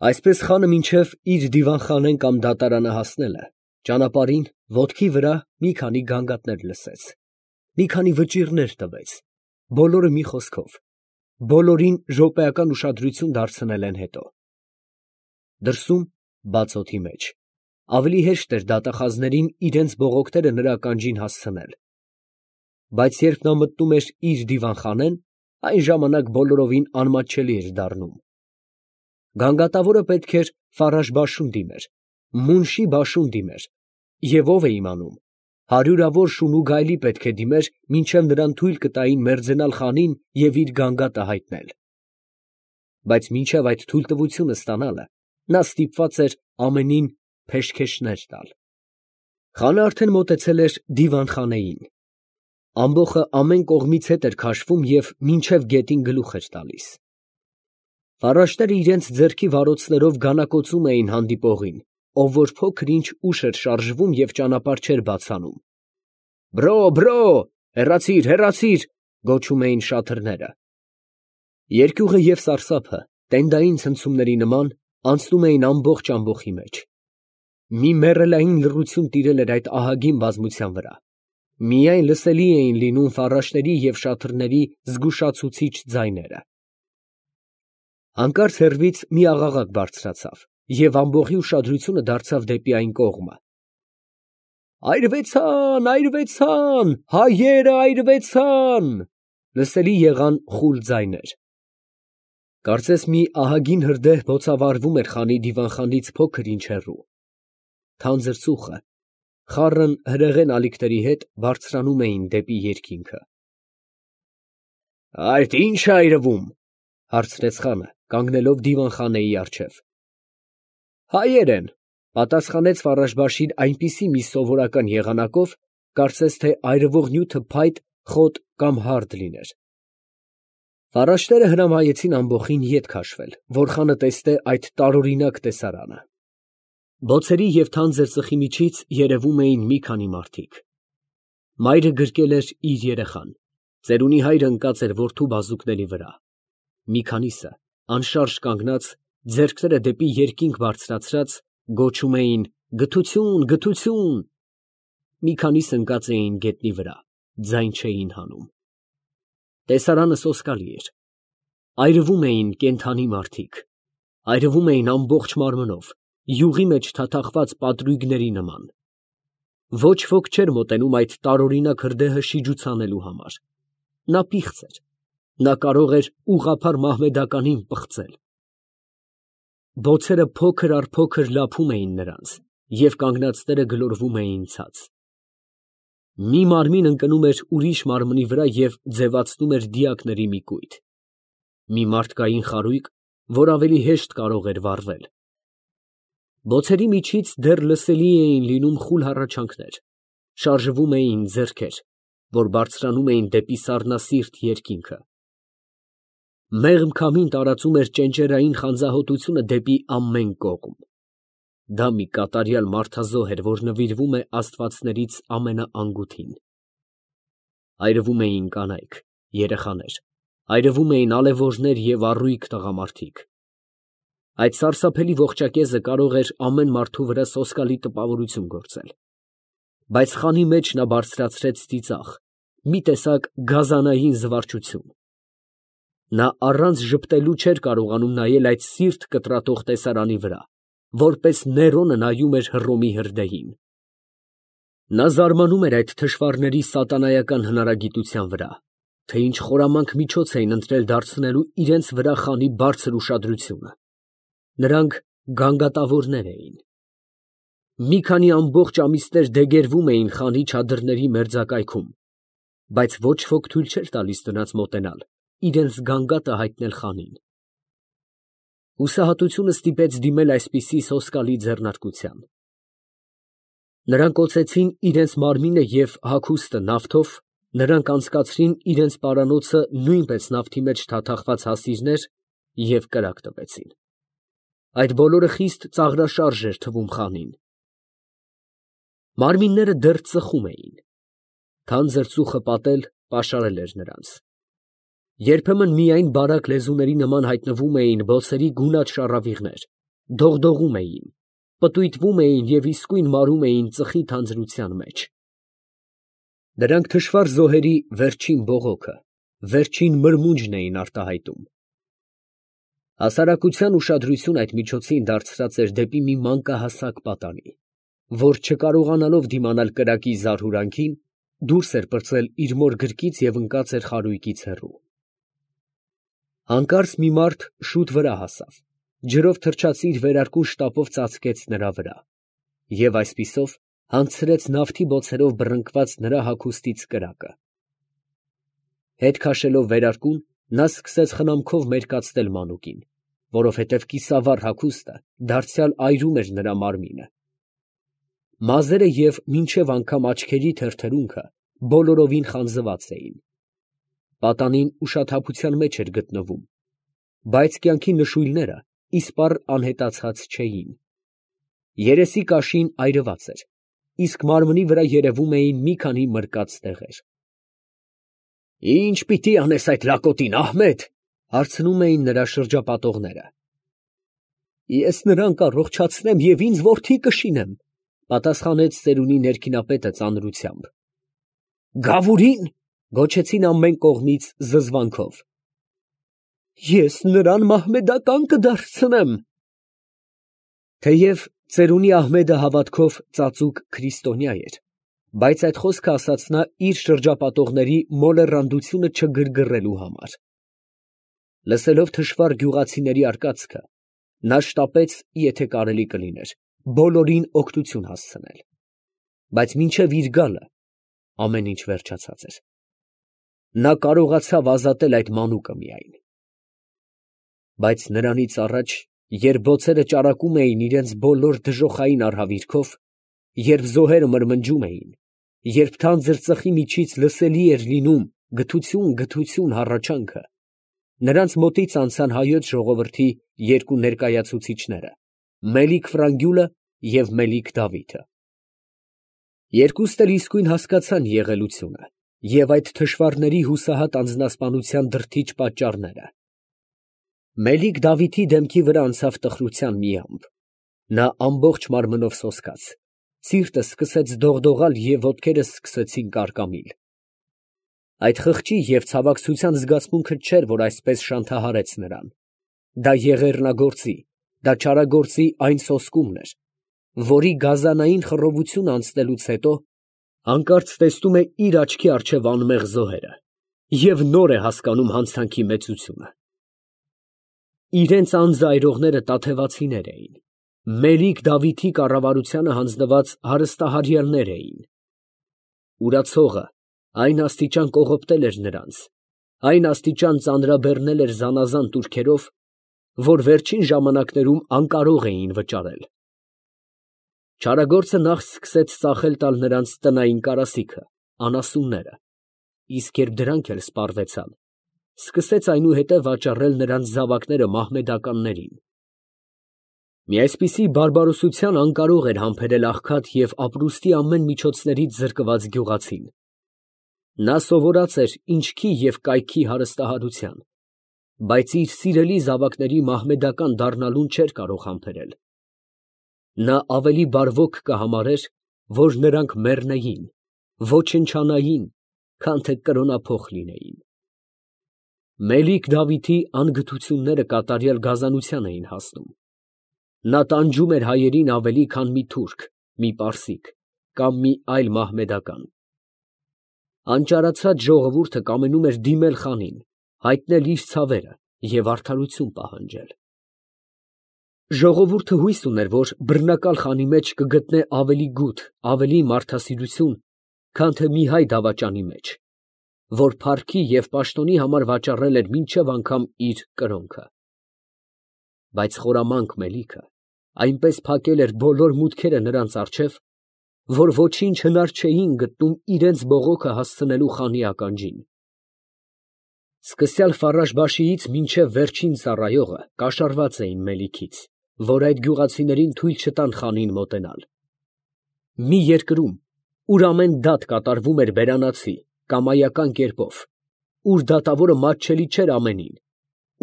Այսպես խանը մինչև իր դիվանխանեն կամ դատարանը հասնելը, ճանապարհին ոտքի վրա մի քանի գանգատներ լսեց, մի քանի վճիռներ տվեց, բոլորը մի խոսքով, բոլորին րոպեական ուշադրություն դարձնել են հետո։ Դրսում, բաց օդի մեջ, ավելի հեշտ էր դատախազներին իրենց բողոքները նրա ականջին հասցնել, բայց երբ նա մտնում էր իր դիվանխանեն, այն ժամանակ բոլորովին անմատչելի էր դառնում։ Գանգատավորը պետք էր Ֆարաշ Բաշուն դիմեր, Մունշի Բաշուն դիմեր, և ով է իմանում, հարյուրավոր շուն ու գայլի պետք է դիմեր, մինչև նրան թույլ կտային մերձենալ խանին և իր գանգատը հայտնել։ Բայց մինչև այդ թույլտվությունը ստանալը, նա ստիպված էր ամենին փեշքեշներ տալ։ Խանը արդեն մոտեցել էր դիվանխանեին։ Ամբոխը ամեն կողմից հետ էր քաշվում և մինչև գետին գլուխ էր տալիս։ Ֆարաշները իրենց ձեռքի վարոցներով գանակոծում էին հանդիպողին, ով որ փոքր-ինչ ուշ էր շարժվում և ճանապարհ չէր բացանում։ «Բրո, բրո, հեռացի՛ր, հեռացի՛ր», գոչում էին շաթրները։ Երկյուղը և սարսափը, տենդային ցնցումների նման, անցնում էին ամբողջ ամբոխի մեջ։ Մի մեռելային լռություն տիրել էր այդ ահագին բազմության վրա։ Միայն լսելի էին լինում ֆարաշների և շաթրների զգուշացուցիչ ձայները։ Հանկարծ հեռվից մի աղաղակ բարձրացավ, և ամբոխի ուշադրությունը դարձավ դեպի այն կողմը։ «Այրվեցան, այրվեցան, հայերը այրվեցան», լսելի եղան խուլ ձայներ։ Կարծես մի ահագին հրդեհ բոցավառվում էր խանի դիվանխանից փոքր-ինչ հեռու։ Թանձր ծուխը, խառն հրեղեն ալիքների հետ բարձրանում էին դեպի երկինքը։ «Այդ ի՞նչ է այրվում», հարցրեց խանը, կանգնելով դիվանխանեի առջև։ «Հայեր են», պատասխանեց Ֆարաշ֊Բաշին այնպիսի մի սովորական եղանակով, կարծես թե այրվող նյութը փայտ, խոտ կամ հարդ լիներ։ Ֆարաշները հրամայեցին ամբոխին ետ քաշվել, որ խանը տեսնե այդ տարօրինակ տեսարանը։ Բոցերի և թանձր ծխի միջից երևում էին մի քանի մարդիկ։ Մայրը գրկել էր իր երեխան, ծերունի հայրը ընկած էր որդու բազուկների վրա։ Մի քանիսը, անշարժ կանգնած, ձեռքները դեպի երկինք բարձրացրած, գոչում էին «Գթություն, գթություն»։ Մի քանիսը ընկած էին գետնի վրա, ձայն չէին հանում։ Տեսարանը սոսկալի էր։ Այրվում էին կենդանի մարդիկ, այրվում էին ամբողջ մարմնով, յուղի մեջ թաթախված պատրույգների նման։ Ոչ ոք չէր մոտենում այդ տարօրինակ հրդեհը շիջուցանելու համար։ Նա պիղծ էր, նա կարող էր ուղղափառ մահմեդականին պղծել։ Բոցերը փոքր առ փոքր լափում էին նրանց, և կանգնածները գլորվում էին ցած։ Մի մարմին ընկնում էր ուրիշ մարմնի վրա և ձևացնում էր դիակների մի կույտ։ Մի մարդկային խարույկ, որ ավելի հեշտ կարող էր վառվել։ Բոցերի միջից դեռ լսելի էին լինում խուլ հառաչանքներ, շարժվում էին ձեռքեր, որ բարձրանում էին դեպի սառնասիրտ երկինքը։ Մեղմ քամին տարածում էր ճենճերային խանձահոտությունը դեպի ամեն կողմ։ Դա մի կատարյալ մարդազոհ էր, որ նվիրվում է աստվածներից ամենաանգութին։ Այրվում էին կանայք, երեխաներ, այրվում էին ալևորներ և առույգ տղամարդիկ։ Այդ սարսափելի ողջակեզը կարող էր ամեն մարդու վրա սոսկալի տպավորություն գործել։ Բայց խանի մեջ նա բարձրացրեց ծիծաղ, մի տեսակ գազանային զվարճություն։ Նա առանց ժպտելու չէր կարողանում նայել այդ սիրտ կտրատող տեսարանի վրա, որպես Ներոնը նայում էր Հռոմի հրդեհին։ Նա զարմանում էր այդ թշվառների սատանայական հնարագիտության վրա, թե ինչ խորամանկ միջոց էին ընտրել դարձնելու իրենց վրա խանի բարձր ուշադրությունը։ Նրանք գանգատավորներ էին։ Մի քանի ամբողջ ամիսներ դեգերվում էին խանի չադրների մերձակայքում, բայց ոչ ոք թույլ չէր տալիս նրանց մոտենալ, իրենց գանգատը հայտնել խանին։ Հուսահատությունը ստիպեց դիմել այսպիսի սոսկալի ձեռնարկության։ Նրանք օծեցին իրենց մարմինը և հագուստը նավթով, նրանք անցկացրին իրենց պարանոցը նույնպես նավթի մեջ թաթախված հասիրներ և կրակ տվեցին։ Այդ բոլորը խիստ ծաղրաշարժ էր թվում խանին։ Մարմինները դեռ ծխում էին։ Թանձր ծուխը պատել, պաշարել էր նրանց։ Երբեմն միայն բարակ լեզուների նման հայտնվում էին բոցերի գունատ շառավիղներ, դողդողում էին, պտույտվում էին և իսկույն մարում էին ծխի թանձրության մեջ։ Դրանք թշվառ զոհերի վերջին բողոքը, վերջին մրմունջն էին արտահայտում։ Հասարակության ուշադրությունը այդ միջոցին դարձրած էր դեպի մի մանկահասակ պատանի, որ չկարողանալով դիմանալ կրակի զարհուրանքին, դուրս էր պրծել իր մոր գրկից և ընկած էր խարույկից հեռու։ Հանկարծ մի մարդ շուտ վրա հասավ, ջրով թրջած իր վերարկուն շտապով ծածկեց նրա վրա և այսպիսով հանգցրեց նավթի բոցերով բռնկված նրա հագուստից կրակը։ Հետ քաշելով վերարկուն, նա սկսեց խնամքով մերկացնել մանուկին, որովհետև կիսավառ հագուստը դարձյալ այրում էր նրա մարմինը։ Մազերը և մինչև անգամ աչքերի թրթրունքը բոլորովին խանձված էին։ Պատանին ուշաթափության մեջ էր գտնվում, բայց կյանքի նշույլները իսպառ անհետացած չէին։ Երեսի կաշին այրված էր, իսկ մարմնի վրա երևում էին մի քանի մրկած տեղեր։ «Ի՞նչ պիտի անես այդ լակոտին, Ահմեդ», հարցնում էին նրա շրջապատողները։ «Ես նրան կառողջացնեմ և ինձ որդի կշինեմ», պատասխանեց ծերունի ներքինապետը ծանրությամբ։ «Գավուրի՞ն», գոչեցին ամեն կողմից զզվանքով։ «Ես նրան մահմեդական կդարձնեմ»։ Թեև ծերունի Ահմեդը հավատքով ծածուկ քրիստոնյա էր, բայց այդ խոսքը ասաց նա իր շրջապատողների մոլեռանդությունը չգրգռելու համար։ Լսելով թշվառ գյուղացիների արկածքը, նա շտապեց, եթե կարելի կլիներ, բոլորին օգնություն հասցնել, բայց մինչև իր գալը ամեն ինչ վերջացած էր։ Նա կարողացավ ազատել այդ մանուկը միայն։ Բայց նրանից առաջ, երբ բոցերը ճարակում էին իրենց բոլոր դժոխային արհավիրքով, երբ զոհերը մրմնջում էին, երբ թանձր ծխի միջից լսելի էր լինում գթություն, գթություն հառաչանքը, նրանց մոտից անցան հայոց ժողովրդի երկու ներկայացուցիչները՝ Մելիք Ֆրանգյուլը և Մելիք Դավիթը։ Երկուսն էլ իսկույն հասկացան եղելությունը և այդ թշվառների հուսահատ անձնասպանության դրդիչ պատճառները։ Մելիք Դավիթի դեմքի վրա անցավ տխրության մի ամպ, նա ամբողջ մարմնով սոսկաց, սիրտը սկսեց դողդողալ և ոտքերը սկսեցին կարկամիլ։ Այդ խղճի և ցավակցության զգացմունքը չէր, որ այսպես շանթահարեց նրան, դա եղեռնագործի, դա չարագործի այն սոսկումն էր, որի գազանային խռովությունը անցնելուց հետո հանկարծ տեսնում է իր աչքի առջև անմեղ զոհերը և նոր է հասկանում հանցանքի մեծությունը։ Իրենց անձը այրողները տաթևացիներ էին, Մելիք Դավիթի կառավարությանը հանձնված հարստահարյալներ էին։ Ուրացողը այն աստիճան կողոպտել էր նրանց, այն աստիճան ծանրաբեռնել էր զանազան տուրքերով, որ վերջին ժամանակներում անկարող էին վճարել։ Չարագործը նախ սկսեց ծախել տալ նրանց տնային կարասիքը, անասունները, իսկ երբ դրանք էլ սպառվեցան, սկսեց այնուհետև վաճառել նրանց զավակները մահմեդականներին։ Մի այսպիսի բարբարոսության անկարող էր համբերել աղքատ և ապրուստի ամեն միջոցներից զրկված գյուղացին։ Նա սովորած էր ինչքի և կայքի հարստահարության, բայց իր սիրելի զավակների մահմեդական դառնալուն չէր կարող համբերել։ Նա ավելի բարվոք կհամարեր, որ նրանք մեռնեին, ոչնչանային, քան թե կրոնափոխ լինեին։ Մելիք Դավիթի անգթությունները կատարյալ գազանության էին հասնում։ Նա տանջում էր հայերին ավելի, քան մի թուրք, մի պարսիկ կամ մի այլ մահմեդական։ Անճարացած ժողովուրդը կամենում էր դիմել խանին, հայտնել իր ցավերը և արդարություն պահանջել։ Ժողովուրդը հույս ուներ, որ բռնակալ խանի մեջ կգտնե ավելի գութ, ավելի մարդասիրություն, քան թե մի հայ դավաճանի մեջ, որ փառքի և պաշտոնի համար վաճառել էր մինչև անգամ իր կրոնքը։ Բայց խորամանկ Մելիքը այնպես փակել էր բոլոր մուտքերը նրանց առջև, որ ոչինչ հնար չէին գտնում իրենց բողոքը հասցնելու խանի ականջին։ Սկսյալ Ֆարաշբաշիից մինչև վերջին ծառայողը կաշառված էին Մելիքից, որ այդ գյուղացիներին թույլ չտան խանին մոտենալ։ Մի երկրում, ուր ամեն դատ կատարվում էր բերանացի, կամայական կերպով, ուր դատավորը մատչելի չէր ամենին,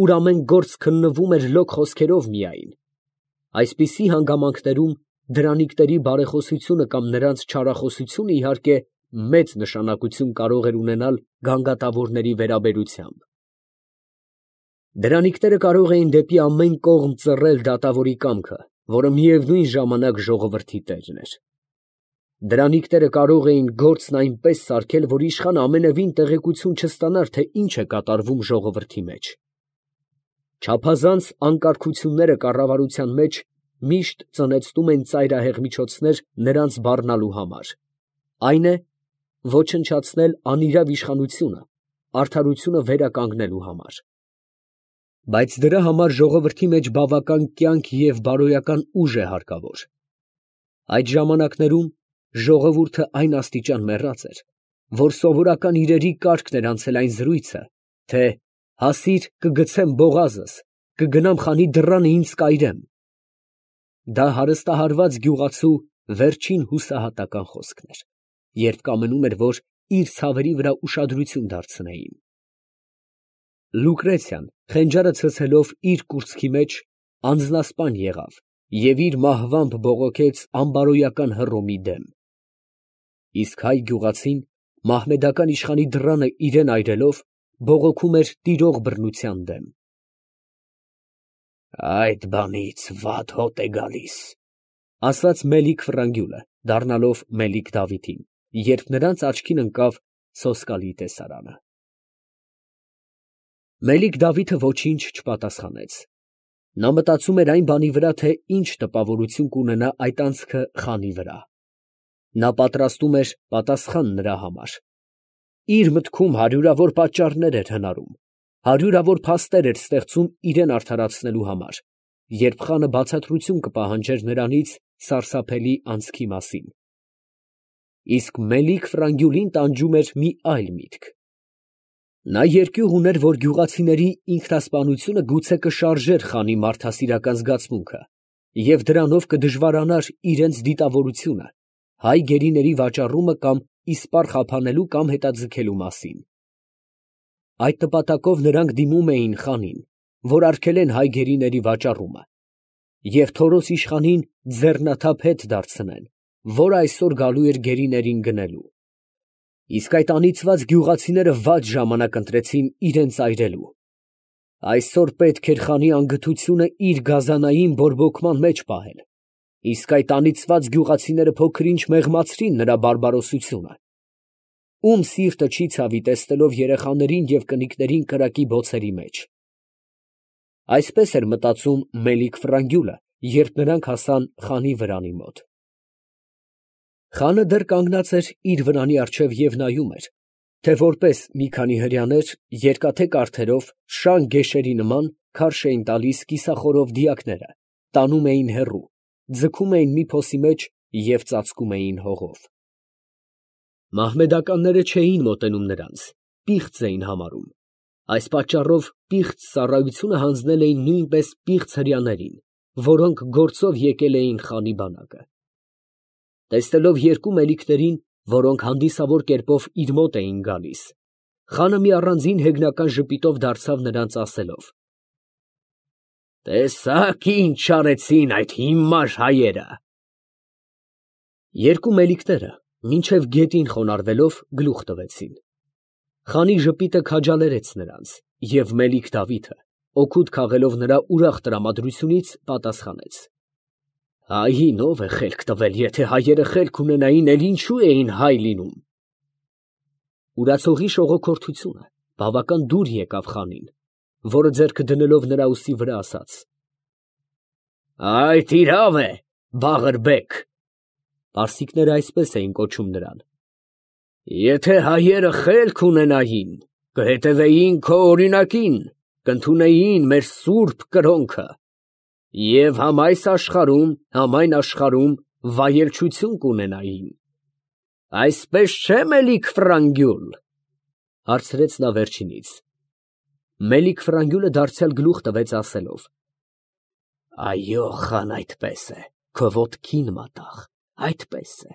ուր ամեն գործ քննվում էր լոկ խոսքերով միայն, Այսպիսի հանգամանքներում դրանիկների բարեխոսությունը կամ նրանց չարախոսությունը իհարկե մեծ նշանակություն կարող էր ունենալ գանգատավորների վերաբերությամբ։ Դրանիկները կարող էին դեպի ամեն կողմ ծռել դատավորի կամքը, որը միևնույն ժամանակ ժողովրդի տերն էր։ Դրանիկները կարող էին գործն այնպես սարքել, որ իշխանը ամենևին տեղեկություն չստանար, թե ինչ է կատարվում ժողովրդի մեջ։ Չափազանց անկարգությունները կառավարության մեջ միշտ ծնեցնում են ծայրահեղ միջոցներ նրանց բառնալու համար, այն է, ոչնչացնել անիրավ իշխանությունը, արդարությունը վերականգնելու համար։ Բայց դրա համար ժողովրդի մեջ բավական կյանք և բարոյական ուժ է հարկավոր։ Այդ ժամանակներում ժողովուրդը այն աստիճան մեռած էր, որ սովորական իրերի կարգն էր անցել այն զրույցը, թե հասիր կգցեմ բողազս, կգնամ խանի դռանը ինձ կայրեմ։ Դա հարստահարված գյուղացու վերջին հուսահատական խոսքն էր, երբ կամենում էր, որ իր ցավերի վրա ուշադրություն դարձնեին։ Լուկրեցիան, խենջարը ցցելով իր կուրծքի մեջ, անձնասպան եղավ և իր մահվամբ բողոքեց անբարոյական Հռոմի դեմ։ Իսկ հայ գյուղացին, մահմեդական իշխանի դռանը իրան այրելով, բողոքում էր տիրող բռնության դեմ։ «Այդ բանից վատ հոտ է գալիս», ֊ ասաց Մելիք Ֆրանգյուլը, դառնալով Մելիք Դավիթին, երբ նրանց աչքին ընկավ սոսկալի տեսարանը։ Մելիք Դավիթը ոչինչ չպատասխանեց։ Նա մտածում էր այն բանի վրա, թե ինչ տպավորություն կունենա այդ անցքը խանի վրա։ Նա պատրաստում էր պատասխան նրա համար։ Իր մտքում հարյուրավոր պատճառներ էր հնարում, հարյուրավոր փաստեր էր ստեղծում իրեն արդարացնելու համար, երբ խանը բացատրություն կպահանջեր նրանից սարսափելի անցքի մասին։ Իսկ Մելիք Ֆրանգյուլին տանջում էր մի այլ միտք։ Նա երկյուղ ուներ, որ գյուղացիների ինքնասպանությունը գուցե կշարժեր խանի մարդասիրական զգացմունքը և դրանով կդժվարանար իրենց դիտավորությունը, հայ գերիների վաճառումը կամ իսպառ խափանելու կամ հետաձգելու մասին։ Այդ նպատակով նրանք դիմում էին խանին, որ արգելեն հայ գերիների վաճառումը և Թորոս իշխանին ձեռնաթափ հետ դարձնեն, որ այսօր գալու էր գերիներին գնելու։ Իսկ այդ անիծված գյուղացիները վատ ժամանակ ընտրեցին իրենց այրելու։ Այսօր պետք էր խանի անգթությունը իր գազանային բորբոքման մեջ պահել, իսկ այդ անիծված գյուղացիները փոքր-ինչ մեղմացրին նրա բարբարոսությունը։ Ում սիրտը չի ցավի տեսնելով երեխաներին և կնիկներին կրակի բոցերի մեջ։ Այսպես էր մտածում Մելիք Ֆրանգյուլը, երբ նրանք հասան խանի վրանի մոտ։ Խանը դեռ կանգնած էր իր վրանի առջև և նայում էր, թե որպես մի քանի հրեաներ երկաթե կառքերով շան գեշերի նման քարշ էին տալիս կիսախորով դիակները, տանում էին հեռու, ձգում էին մի փոսի մեջ և ծածկում էին հողով։ Մահմեդականները չէին մոտենում նրանց, պիղծ էին համարում։ Այս պատճառով պիղծ ծառայությունը հանձնել էին նույնպես պիղծ հրեաներին, որոնք գործով եկել էին խանի բանակը։ Տեսնելով երկու մելիքներին, որոնք հանդիսավոր կերպով իր մոտ էին գալիս, խանը մի առանձին հեգնական ժպիտով դարձավ նրանց ասելով. «Տեսա՞ք ինչ արեցին այդ հիմար հայերը»։ Երկու մելիքները մինչև գետին խոնարհվելով գլուխ տվեցին։ Խանի ժպիտը քաջալերեց նրանց, և Մելիք Դավիթը, օգուտ քաղելով նրա ուրախ տրամադրությունից, պատասխանեց. «Հային ո՞վ է խելք տվել, եթե հայերը խելք ունենային, էլ ինչու էին հայ լինում»։ Ուրացողի շողոքորթությունը բավական դուր եկավ խանին, որը ձեռքը դնելով նրա ուսի վրա ասաց. «Այդ իրավ է, Բաղըրբեկ» (պարսիկները այսպես էին կոչում նրան)։ Եթե հայերը խելք ունենային, կհետևեին քո օրինակին, կընդունեին մեր սուրբ կրոնքը և համ այս աշխարհում, համ այն աշխարհում վայելչություն կունենային։ Այսպես չէ՞, Մելիք Ֆրանգյուլ, հարցրեց նա վերջինից։ Մելիք Ֆրանգյուլը դարձյալ գլուխ տվեց ասելով. Այո, խան, այդպես է, քո ոտքին մատաղ, այդպես է։